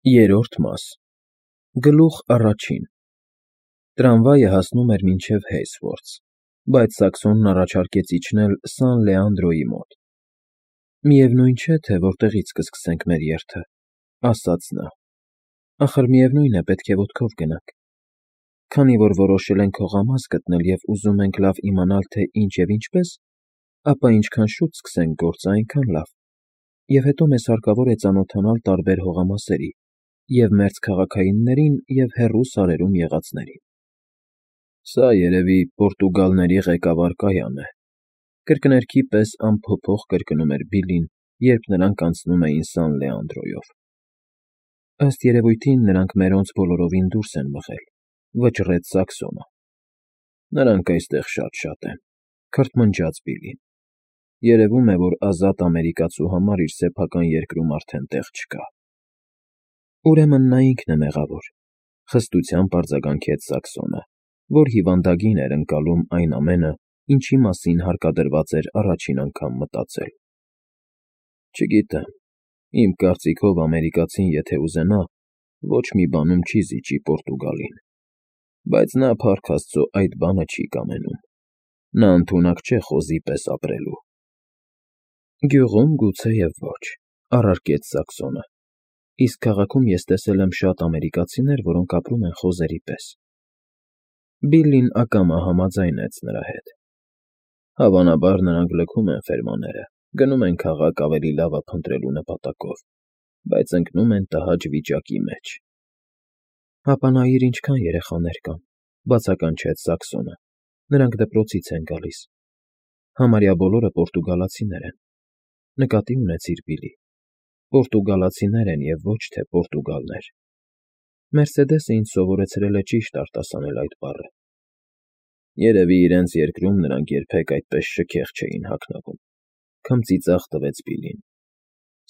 Երրորդ մաս Գլուխ առաջին Տրամվայը հասնում էր մինչև Հեյսվորթս, բայց Սաքսոնն առաջարկեց իջնել Սան Լեանդրոյի մոտ։ Միևնույն չէ, թե որտեղից կսկսենք մեր երթը, ասաց նա։ Ախր միևնույն է, պետք է ոտքով գնանք։ Քանի որ որոշել ենք հողամաս գտնել և ուզում ենք լավ իմանալ, թե ինչ և ինչպես, ապա ինչքան շուտ սկսենք գործը, այնքան լավ, և հետո մեզ հարկավոր է ծանոթանալ տարբեր հողամասերի, և մերձքաղաքայիններին, և հեռու սարերում եղածներին։ Սա, երևի, պորտուգալների ղեկավար Կայան է, կրկներքի պես անփոփոխ կրկնում էր Բիլլին, երբ նրանք անցնում էին Սան Լեանդրոյով։ Ըստ երևույթին, նրանք մերոնց բոլորովին դուրս են մղել, վճռեց Սաքսոնը։ Նրանք այստեղ շատ են, քրթմնջաց Բիլլին։ Երևում է, որ ազատ ամերիկացու համար իր սեփական երկրում արդեն տեղ չկա։ Ուրեմն նա ինքն է մեղավոր, խստությամբ արձագանքեց Սաքսոնը, որ հիվանդագին էր ընկալում այն ամենը, ինչի մասին հարկադրված էր առաջին անգամ մտածել։ Չգիտեմ, իմ կարծիքով ամերիկացին եթե ուզենա, ոչ մի բանում չի զիջի Պորտուգալին, բայց նա, փառք Աստծո, այդ բանը չի կամենում։ Նա ընդունակ չէ խոզի պես ապրելու։ Գյուղում գուցեև ոչ, առարկեց Սաքսոնը, իսկ քաղաքում ես տեսել եմ շատ ամերիկացիներ, որոնք ապրում են խոզերի պես։ Բիլլին ակամա համաձայնեց նրա հետ։ Հավանաբար նրանք լքում են ֆերմաները, գնում են քաղաք ավելի լավը փնտրելու նպատակով, բայց ընկնում են տհաճ վիճակի մեջ։ Հապա նայիր ինչքան երեխաներ կան, բացականչեց Սաքսոնը, նրանք դպրոցից են գալիս։ Համարյա բոլորը պորտուգալացիներ են։ Նկատի ունեցիր, Բիլլի, պորտուգալացիներ են և ոչ թե պորտուգալներ։ Մերսեդեսը ինձ սովորեցրել է ճիշտ արտասանել այդ բառը։ Երևի իրենց երկրում նրանք երբեք այդպես շքեղ չէին հագնվում, քմծիծաղ տվեց Բիլլին։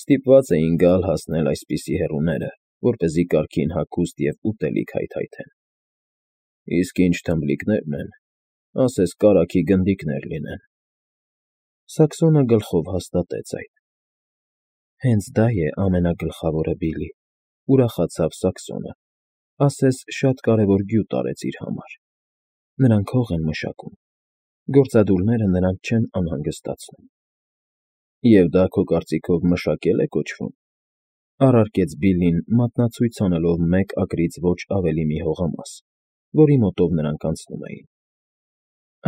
Ստիպված էին գալ հասնել այսպիսի հեռուները, որպեսզի կարգին հագուստ և ուտելիք հայթայթեն։ Իսկ ինչ թմբլիկներն են, ասես կարագի գնդիկներ լինեն։ Սաքսոնը գլխով հաստատեց այդ։ Հենց դա է ամենագլխավորը, Բիլլի, ուրախացավ Սաքսոնը, ասես շատ կարևոր գյուտ արեց իր համար։ Նրանք հող են մշակում, գործադուլները նրանց չեն անհանգստացնում։ Եվ դա քո կարծիքով մշակել է կոչվում, առարկեց Բիլլին, մատնացույց անելով մեկ ակրից ոչ ավելի մի հողամաս, որի մոտով նրանք անցնում էին։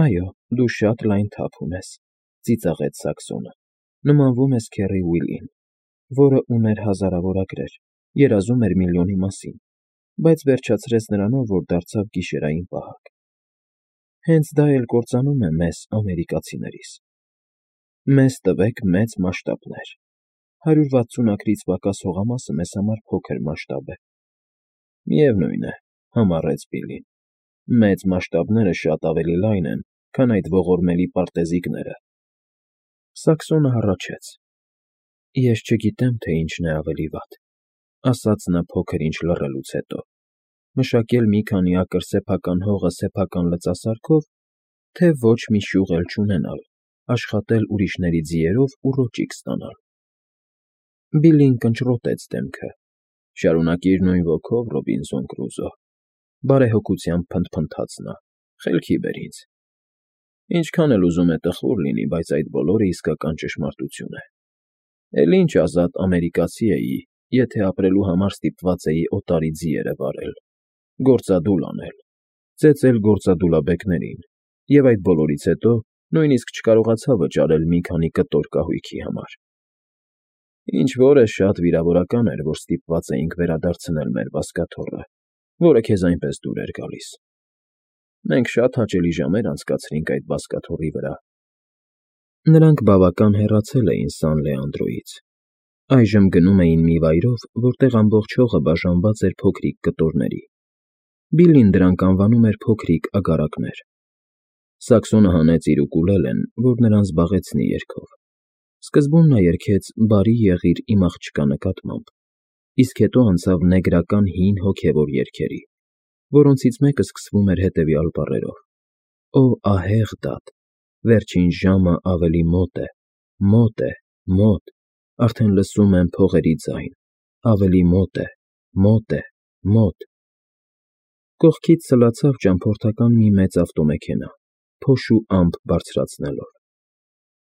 Այո, դու շատ լայն թափ ունես, ծիծաղեց Սաքսոնը, նմանվում ես քեռի Ուիլին, որը ուներ հազարավոր ակրեր, երազում էր միլիոնի մասին, բայց վերջացրեց նրանով, որ դարձավ գիշերային պահակ։ Հենց դա էլ կործանում է մեզ, ամերիկացիներիս։ Մեզ տվեք մեծ մասշտաբներ։ 160 ակրից պակաս հողամասը մեզ համար փոքր մասշտաբ է։ Միևնույն է, համառեց Բիլլին, մեծ մասշտաբները շատ ավելի լայն են, քան այդ ողորմելի պարտեզիկները։ Սաքսոնը հառաչեց։ Ես չգիտեմ, թե ինչն է ավելի վատ, ասաց նա փոքր ինչ լռելուց հետո, մշակել մի քանի ակր սեփական հողը սեփական լծասարքով, թե ոչ մի շյուղ էլ չունենալ, աշխատել ուրիշների ձիերով ու ռոճիկ ստանալ։ Բիլլին կնճռոտեց դեմքը։ Շարունակիր նույն ոգով, Ռոբինզոն Կրուզո, բարեհոգությամբ փնթփնթաց նա, խելքի բեր ինձ։ Ինչքան էլ ուզում է տխուր լինի, բայց այդ բոլորը իսկական ճշմարտություն է։ Էլ ինչ ազատ ամերիկացի էի, եթե ապրելու համար ստիպված էի օտարի ձիերը վարել, գործադուլ անել, ծեծել գործադուլաբեկներին, և այդ բոլորից հետո նույնիսկ չկարողացա վճարել մի քանի կտոր կահույքի համար։ Ինչ֊որ է շատ վիրավորական էր, որ ստիպված էինք վերադարձնել մեր բազկաթոռը, որը քեզ այնպես դուր էր գալիս։ Մենք շատ հաճելի ժամեր անցկացրինք այդ բազկաթոռի վրա։ Նրանք բավական հեռացել էին Սան Լեանդրոյից։ Այժմ գնում էին մի վայրով, որտեղ ամբողջ հողը բաժանված էր փոքրիկ կտորների։ Բիլլին դրանք անվանում էր փոքրիկ ագարակներ։ Սաքսոնը հանեց իր ուկուլելեն, որ նրան զբաղեցնի երգով։ Սկզբում նա երգեց «Բարի եղիր իմ աղջկա» նկատմամբ, իսկ հետո անցավ նեգրական հին հոգևոր երգերի, որոնցից մեկը սկսվում էր հետևյալ բառերով. Օ ահեղ դատ, վերջին ժամը ավելի մոտ է, մոտ է, մոտ, արդեն լսում եմ փողերի ձայն, ավելի մոտ է, Մոտ է, մոտ։ Կողքից սլացավ ճամփորդական մի մեծ ավտոմեքենա, փոշ ու ամպ բարձրացնելով։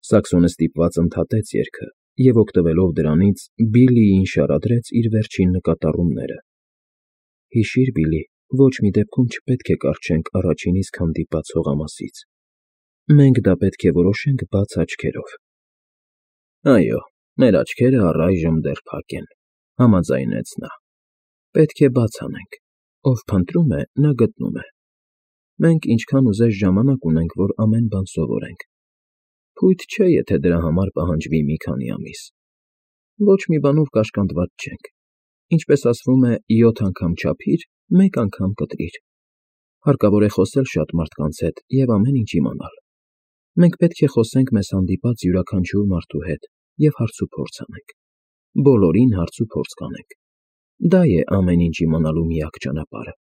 Սաքսոնը ստիպված ընդհատեց երգը և, օգտվելով դրանից, Բիլլիին շարադրեց իր վերջին նկատառումները։ Հիշի՛ր, Բիլլի, ոչ մի դեպքում չպետք է կառչենք առաջին իսկ հանդիպած հողամասից։ Մենք դա պետք է որոշենք բաց աչքերով։ Այո, մեր աչքերը առայժմ դեռ փակ են, համաձայնեց նա։ Պետք է բաց անենք։ Ով փնտրում է, նա գտնում է։ Մենք ինչքան ուզես ժամանակ ունենք, որ ամեն բան սովորենք։ Փույթ չէ, եթե դրա համար պահանջվի մի քանի ամիս։ Ոչ մի բանով կաշկանդված չենք։ Ինչպես ասվում է, 7 անգամ չափիր, 1 անգամ կտրիր։ Հարկավոր է խոսել շատ մարդկանց հետ և ամեն ինչ իմանալ։ Մենք պետք է խոսենք մեզ հանդիպած յուրաքանչյուր մարդու հետ և հարցուփորձ անենք։ Բոլորին հարցուփորձ կանենք։ Դա է ամեն ինչ իմանալու միակ ճանապարհը։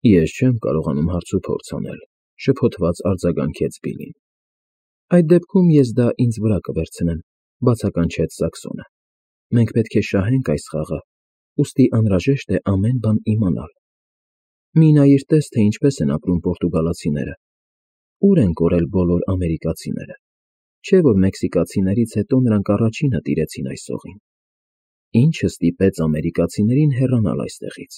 Ես չեմ կարողանում հարցուփորձ անել, շփոթված արձագանքեց Բիլլին։ Այդ դեպքում ես դա ինձ վրա կվերցնեմ, բացականչեց Սաքսոնը։ Մենք պետք է շահենք այս խաղը, ուստի անհրաժեշտ է ամեն բան իմանալ։ Մի նայիր տես, թե ինչպես են ապրում պորտուգալացիները։ Ուր են կորել բոլոր ամերիկացիները։ Չէ՞ որ մեքսիկացիներից հետո նրանք առաջինը տիրեցին այս օղին։ Ինչը ստիպեց ամերիկացիներին հեռանալ այստեղից։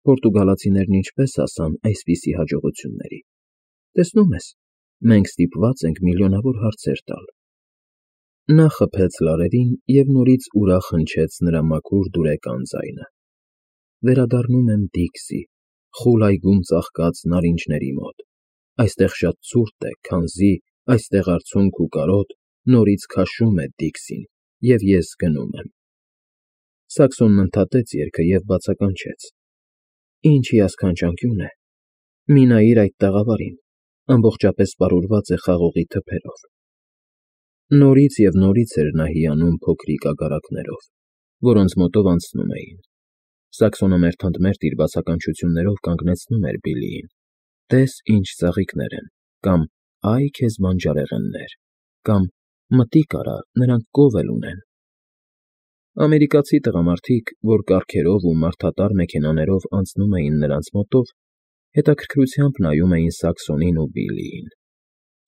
Պորտուգալացիներն ինչպես հասան այսպիսի հաջողությունների։ Տեսնում ես, մենք ստիպված ենք միլիոնավոր հարցեր տալ։ Նա խփեց լարերին և նորից ուրախ հնչեց նրա մաքուր դուրեկան ձայնը։ Վերադառնում եմ Դիքսի, խուլ այգում ծաղկած նարինջների մոտ։ Այստեղ շատ ցուրտ է, քանզի այստեղ արցունք ու կարոտ նորից քաշում է Դիքսին, և ես գնում եմ։ Սաքսոնն ընդհատեց երգը և բացականչեց. Ինչ հիասքանչանկյուն է։ Մի նայիր այդ տաղավարին, ամբողջապես պարուրված է խաղողի թփերով։ Նորից և նորից էր նա հիանում փոքրիկ ագարակներով, որոնց մոտով անցնում էին։ Սաքսոնը մերթ իր բացականչություններով կանգնեցնում էր Բիլլիին. Տես ինչ ծաղիկներ են, կամ այ քեզ բանջարեղեններ, կամ մտիկ արա, նրանք կով էլ ունեն։ Ամերիկացի տղամարդիկ, որ կառքերով ու մարդատար մեքենաներով անցնում էին նրանց մոտով, հետաքրքրությամբ նայում էին Սաքսոնին ու Բիլլիին։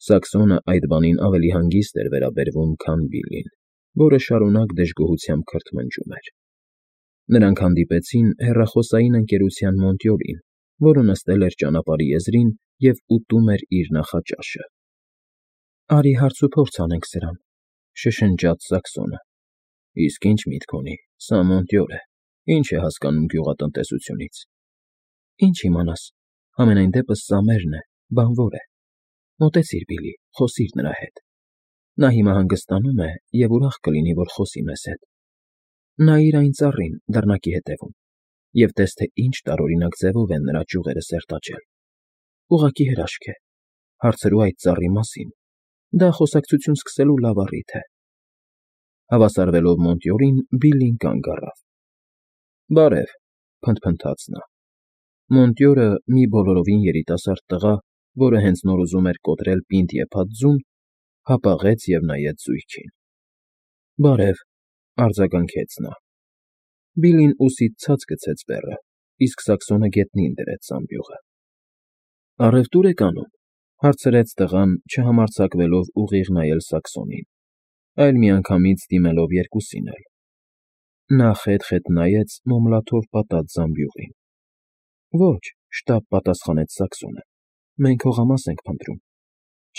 Սաքսոնը այդ բանին ավելի հանգիստ էր վերաբերվում, քան Բիլլին, որը շարունակ դժգոհությամբ քրթմնջում էր։ Նրանք հանդիպեցին հեռախոսային ընկերության մոնտյորին, որը նստել էր ճանապարհի եզրին և ուտում էր իր նախաճաշը։ Արի հարցուփորձ անենք սրան, շշնջաց Սաքսոնը։ Իսկ ինչ միտք ունի, սա մոնտյոր է, ինչ է հասկանում գյուղատնտեսությունից։ Ինչ իմանաս, համենայն դեպս սա մերն է, բանվոր է։ Մոտեցիր, Բիլլի, խոսիր նրա հետ։ Նա հիմա հանգստանում է և ուրախ կլինի, որ խոսի մեզ հետ։ Նայիր այն ծառին, դռնակի հետևում, և տես, թե ինչ տարօրինակ ձևով են նրա ճյուղերը սերտաճել։ Ուղղակի հրաշք է։ Հարցրու այդ ծառի մասին։ Դա խոսակցություն սկսելու լավ առիթ է։ Հավասարվելով մոնտյորին, Բիլլին կանգ առավ։ Բարև, փնթփնթաց նա։ Մոնտյորը, մի բոլորովին երիտասարդ տղա, որը հենց նոր ուզում էր կոտրել պինդ եփած ձուն, հապաղեց և նայեց զույգին։ Բարև, արձագանքեց նա։ Բիլլին ուսից ցած գցեց բեռը, իսկ Սաքսոնը գետնին դրեց զամբյուղը։ Առևտո՞ւր եք անում, հարցրեց տղան, չհամարձակվելով ուղիղ նայել Սաքսոնին, այլ միանգամից դիմելով երկուսին էլ։ Նա խետ նայեց մոմլաթով պատած զամբյուղին։ Ոչ, շտապ պատասխանեց Սաքսոնը։ Մենք հողամաս ենք փնտրում։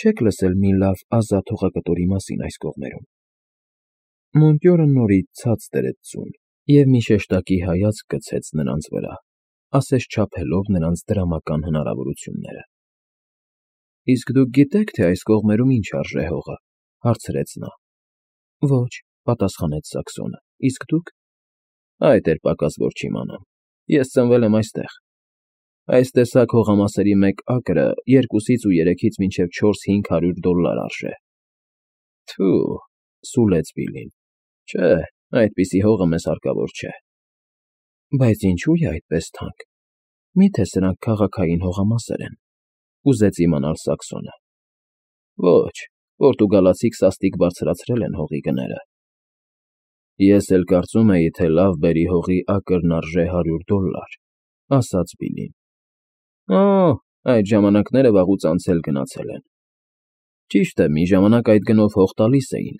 Չեք լսել մի լավ ազատ հողակտորի մասին այս կողմերում։ Մոնտյորը նորից ցած դրեց ձուն և մի շեշտակի հայացք գցեց նրանց վրա, ասես չափելով նրանց դրամական հնարավորությունները։ Իսկ դուք գիտե՞ք, թե այս կողմերում ինչ արժե հողը, հարցրեց նա։ Ոչ, պատասխանեց Սաքսոնը, իսկ դուք։ Այդ էր պակաս, որ չիմանամ։ Ես ծնվել եմ այստեղ։ Այս տեսակ հողամասերի մեկ ակրը 2-ից ու 3-ից մինչև 400-500 $ արժե։ Թո՛ւ, սուլեց Բիլլին։ Չէ, այդպիսի հողը մեզ հարկավոր չէ։ Բայց ինչու է այդպես թանկ։ Մի՞թե սրանք քաղաքային հողամասեր են, ուզեց իմանալ Սաքսոնը։ Ոչ, պորտուգալացի քսաստիկ բարձրացրել են հողի գները։ Ես էլ կարծում էի, թե լավ բերի հողի ակրն արժե $100, ասաց Բիլլին։ Օ, այդ ժամանակները վաղուց անցել գնացել են։ Ճիշտ է, մի ժամանակ այդ գնով հող տալիս էին,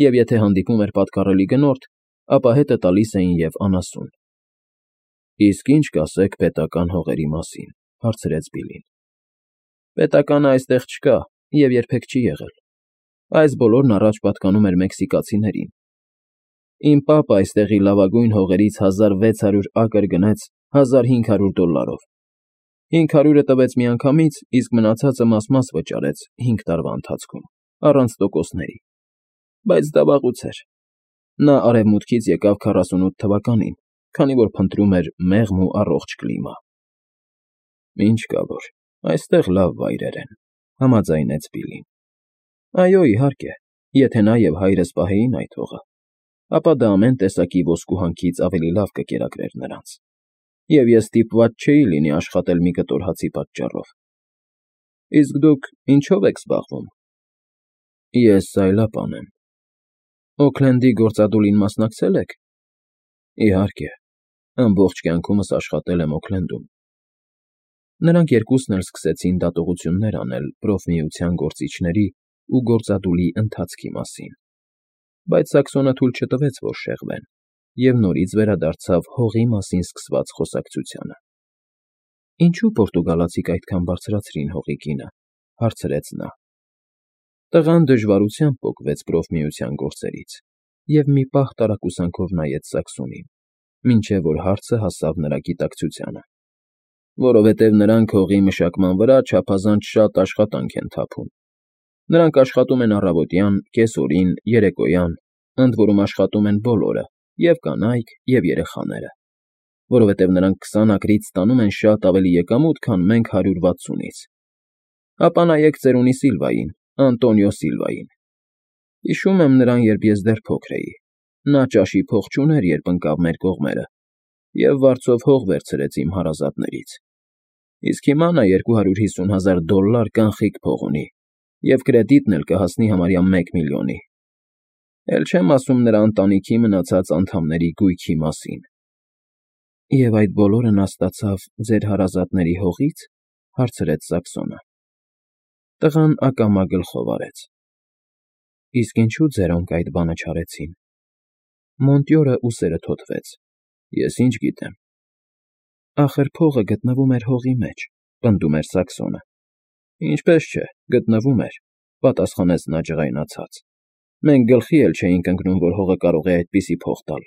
և եթե հանդիպում էր պատկառելի գնորդ, ապա հետը տալիս էին և անասուն։ Իսկ ինչ կասեք պետական հողերի մասին, հարցրեց Բիլլին։ Պետականը այստեղ չկա և երբեք չի եղել։ Այս բոլորն առաջ պատկանում էր մեքսիկացիներին։ Իմ պապը այստեղի լավագույն հողերից 1600 ակր գնեց $1500։ 500-ը տվեց միանգամից, իսկ մնացածը մաս-մաս վճարեց 5 տարվա ընթացքում, առանց տոկոսների։ Բայց դա վաղուց էր։ Նա արևմուտքից եկավ 48 թվականին, քանի որ փնտրում էր մեղմ ու առողջ կլիմա։ Ինչ կա որ, այստեղ լավ վայրեր են, համաձայնեց Բիլլին։ Այո, իհարկե, եթե նա և հայրս պահեին այդ հողը, ապա դա ամեն տեսակի ոսկու հանքից ավելի լավ կկերակրեր նրանց, և ես ստիպված չէի լինի աշխատել մի կտոր հացի պատճառով։ Իսկ դուք ինչո՞վ եք զբաղվում։ Ես սայլապան եմ։ Օքլենդի գործադուլին մասնակցել եք։ Իհարկե, ամբողջ կյանքումս աշխատել եմ Օքլենդում։ Նրանք երկուսն էլ սկսեցին դատողություններ անել Պրոֆմիության գործիչների ու գործադուլի ընթացքի մասին, բայց Սաքսոնը թույլ չտվեց, որ շեղվեն, և նորից վերադարձավ հողի մասին սկսված խոսակցությանը։ Ինչու պորտուգալացիք այդքան բարձրացրին հողի գինը, հարցրեց նա։ Տղան դժվարությամբ պոկվեց Պրոֆմիության գործերից և մի պահ տարակուսանքով նայեց Սաքսոնին, մինչև որ հարցը հասավ նրա գիտակցությանը։ Որովհետև նրանք հողի մշակման վրա չափազանց շատ աշխատանք են թափում։ Նրանք աշխատում են առավոտյան, կեսօրին, երեկոյան, ընդ որում աշխատում են բոլորը, և կանայք, և երեխաները, որովհետև նրանք 20 ակրից ստանում են շատ ավելի եկամուտ, քան մենք 160-ից։ Ապա նայեք ծերունի Սիլվային, Անտոնիո Սիլվային։ Հիշում եմ նրան, երբ ես դեռ փոքր էի։ Նա ճաշի փող չուներ, երբ ընկավ մեր կողմերը, և վարձով հող վերցրեց իմ հարազատներից։ Իսկ հիմա նա $250,000 կանխիկ փող ունի, և կրեդիտն էլ կհասնի համարյա 1 միլիոնի։ Էլ չեմ ասում նրա ընտանիքի մնացած անդամների գույքի մասին։ Եվ այդ բոլորը նա ստացավ ձեր հարազատների հողի՞ց, հարցրեց Սաքսոնը։ Տղան ակամա գլխով արեց։ Իսկ ինչու ձերոնք այդ բանը չարեցին։ Մոնտյորը ուսերը թոթվեց։ Ես ինչ գիտեմ։ Ախր փողը գտնվում էր հողի մեջ, պնդում էր Սաքսոնը։ Ինչպես չէ, գտնվում էր, պատասխանեց նա ջղայնացած։ Մենք գլխի էլ չէինք ընկնում, որ հողը կարող է այդպիսի փող տալ։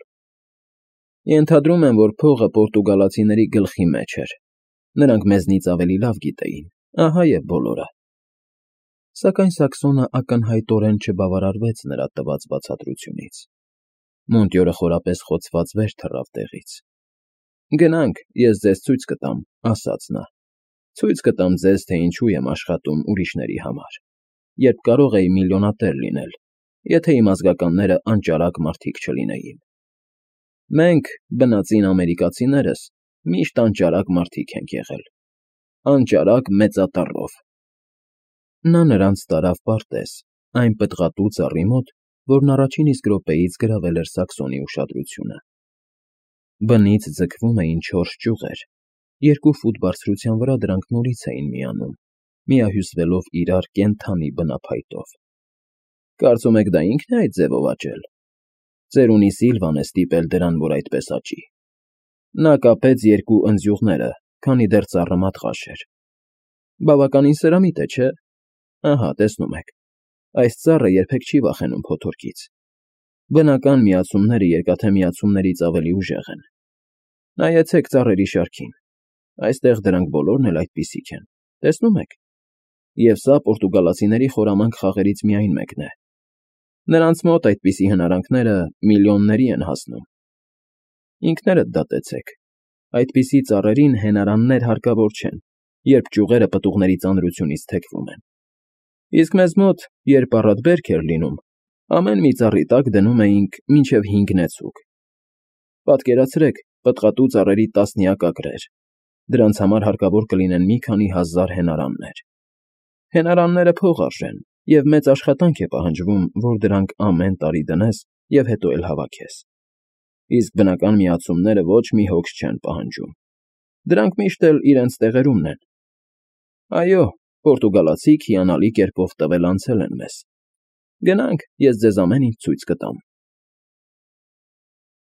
Ենթադրում եմ, որ փողը պորտուգալացիների գլխի մեջ էր։ Նրանք մեզնից ավելի լավ գիտեին, ահա և բոլորը։ Սակայն Սաքսոնը ակնհայտորեն չբավարարվեց նրա տված բացատրությունից։ Մոնտյորը խորապես խոցված վեր թռավ տեղից։ Գնանք, ես ձեզ ցույց կտամ, ասաց նա։ Ցույց կտամ ձեզ, թե ինչու եմ աշխատում ուրիշների համար, երբ կարող էի միլիոնատեր լինել, եթե իմ ազգականները անճարակ մարդիկ չլինեին։ Մենք, բնածին ամերիկացիներս, միշտ անճարակ մարդիկ ենք եղել։ Անճարակ մեծատառով։ Նա նրանց տարավ պարտեզ, այն պտղատու ծառի մոտ, որն առաջին իսկ րոպեից գրավել էր Սաքսոնի ուշադրությունը։ Բնից ձգվում էին 4 ճյուղեր, 2 ֆուտ բարձրության վրա դրանք նորից էին միանում, միահյուսվելով իրար կենդանի բնափայտով։ Կարծում եք դա ինքն է այդ ձևով աճել։ Ծերունի Սիլվան է ստիպել դրան, որ այդպես աճի։ Նա կապեց 2 ընձյուղները, քանի դեռ ծառը մատղաշ էր։ Բավականին սրամիտ է, չէ՞։ Ահա, տեսնում եք։ Այս ծառը երբեք չի վախենում փոթորկից։ Բնական միացումները երկաթե միացումներից ավելի ուժեղ են։ Նայեցեք ծառերի շարքին։ Այստեղ դրանք բոլորն էլ այդպիսիք են, տեսնում եք։ Եվ սա պորտուգալացիների խորամանկ խաղերից միայն մեկն է։ Նրանց մոտ այդպիսի հնարանքները միլիոնների են հասնում։ Ինքներդ դատեցեք։ Այդպիսի ծառերին հենարաններ հարկավոր չեն, երբ ճյուղերը պտուղների ծանրությունից թեքվում են։ Իսկ մեզ մոտ, երբ առատ բերք էր լինում, ամեն մի ծառի տակ դնում էինք մինչև 5 նեցուկ։ Պատկերացրեք, պտղատու ծառերի տասնյակ ակրեր։ Դրանց համար հարկավոր կլինեն մի քանի հազար հենարաններ։ Հենարանները փող արժեն, և մեծ աշխատանք է պահանջվում, որ դրանք ամեն տարի դնես և հետո էլ հավաքես։ Իսկ բնական միացումները ոչ մի հոգս չեն պահանջում. դրանք միշտ էլ իրենց տեղերումն են։ Այո, պորտուգալացիք հիանալի կերպով տվել անցել են մեզ։ Գնանք, ես ձեզ ամեն ինչ ցույց կտամ։